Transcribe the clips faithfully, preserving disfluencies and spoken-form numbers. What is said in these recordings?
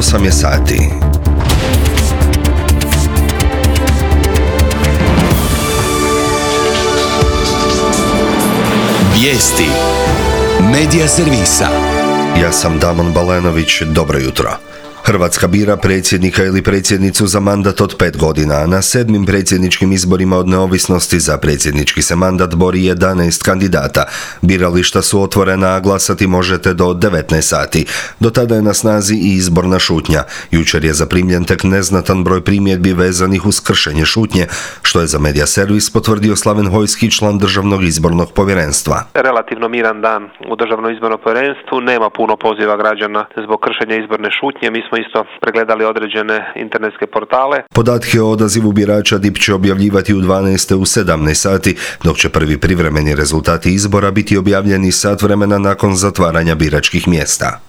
osam je sati. Vijesti Medija servisa. Ja sam Damon Balenović, dobro jutro. Hrvatska bira predsjednika ili predsjednicu za mandat od pet godina, a na sedmim predsjedničkim izborima od neovisnosti za predsjednički se mandat bori jedanaest kandidata. Birališta su otvorena, a glasati možete do devetnaest sati. Do tada je na snazi i izborna šutnja. Jučer je zaprimljen tek neznatan broj primjedbi vezanih uz kršenje šutnje, što je za Medija servis potvrdio Slaven Hojski, član Državnog izbornog povjerenstva. Relativno miran dan u Državnom izbornom povjerenstvu, nema puno poziva građana zbog kršenja izborne šutnje. Mi smo isto pregledali određene internetske portale. Podatke o odazivu birača D I P će objavljivati u dvanaest u sedamnaest sati, dok će prvi privremeni rezultati izbora biti objavljeni sat vremena nakon zatvaranja biračkih mjesta.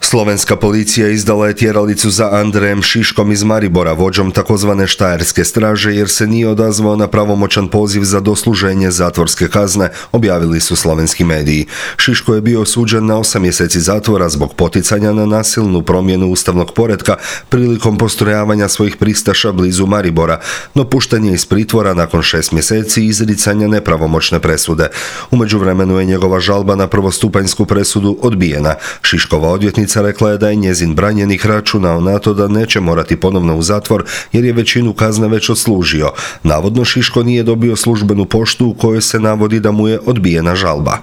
Slovenska policija izdala je tjeralicu za Andrejem Šiškom iz Maribora, vođom takozvane štajerske straže, jer se nije odazvao na pravomoćan poziv za dosluženje zatvorske kazne, objavili su slovenski mediji. Šiško je bio osuđen na osam mjeseci zatvora zbog poticanja na nasilnu promjenu ustavnog poretka prilikom postrojavanja svojih pristaša blizu Maribora, no pušten je iz pritvora nakon šest mjeseci izricanja nepravomoćne presude. U međuvremenu je njegova žalba na prvostupanjsku presudu odbijena. Šiškova odvjetnica rekla je da je njezin branjenik računao na to da neće morati ponovno u zatvor jer je većinu kazne već odslužio. Navodno Šiško nije dobio službenu poštu u kojoj se navodi da mu je odbijena žalba.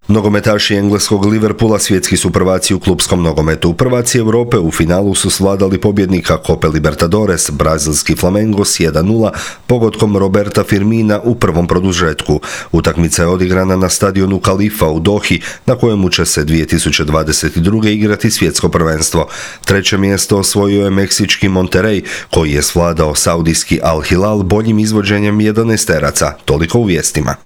Nogometaši engleskog Liverpoola svjetski su prvaci u klupskom nogometu. Prvaci Europe u finalu su svladali pobjednika Cope Libertadores, brazilski Flamengo s jedan nula, pogodkom Roberta Firmina u prvom produžetku. Utakmica je odigrana na stadionu Kalifa u Dohi, na kojemu će se dvije tisuće dvadeset druge igrati svjetsko prvenstvo. Treće mjesto osvojio je meksički Monterrey, koji je svladao saudijski Al Hilal boljim izvođenjem jedanaesteraca. Toliko u vijestima.